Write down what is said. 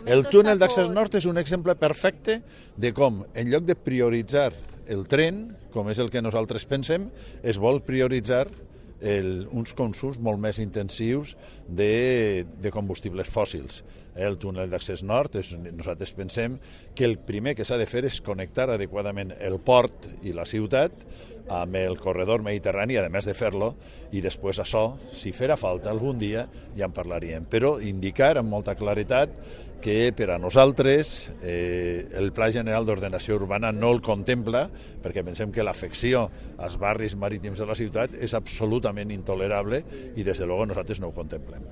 El túnel d'accés nord és un exemple perfecte de com, en lloc de prioritzar el tren, com és el que nosaltres pensem, es vol prioritzar uns consums molt més intensius de combustibles fòssils. El túnel d'accés nord, nosaltres pensem que el primer que s'ha de fer és connectar adequadament el port i la ciutat amb el corredor mediterrani, a més de fer-lo, i després això, si farà falta algun dia, ja en parlaríem. Però indicar amb molta claretat que per a nosaltres el Pla General d'Ordenació Urbana no el contempla, perquè pensem que l'afecció als barris marítims de la ciutat és absolutament intolerable i des de luego nosaltres no ho contemplem.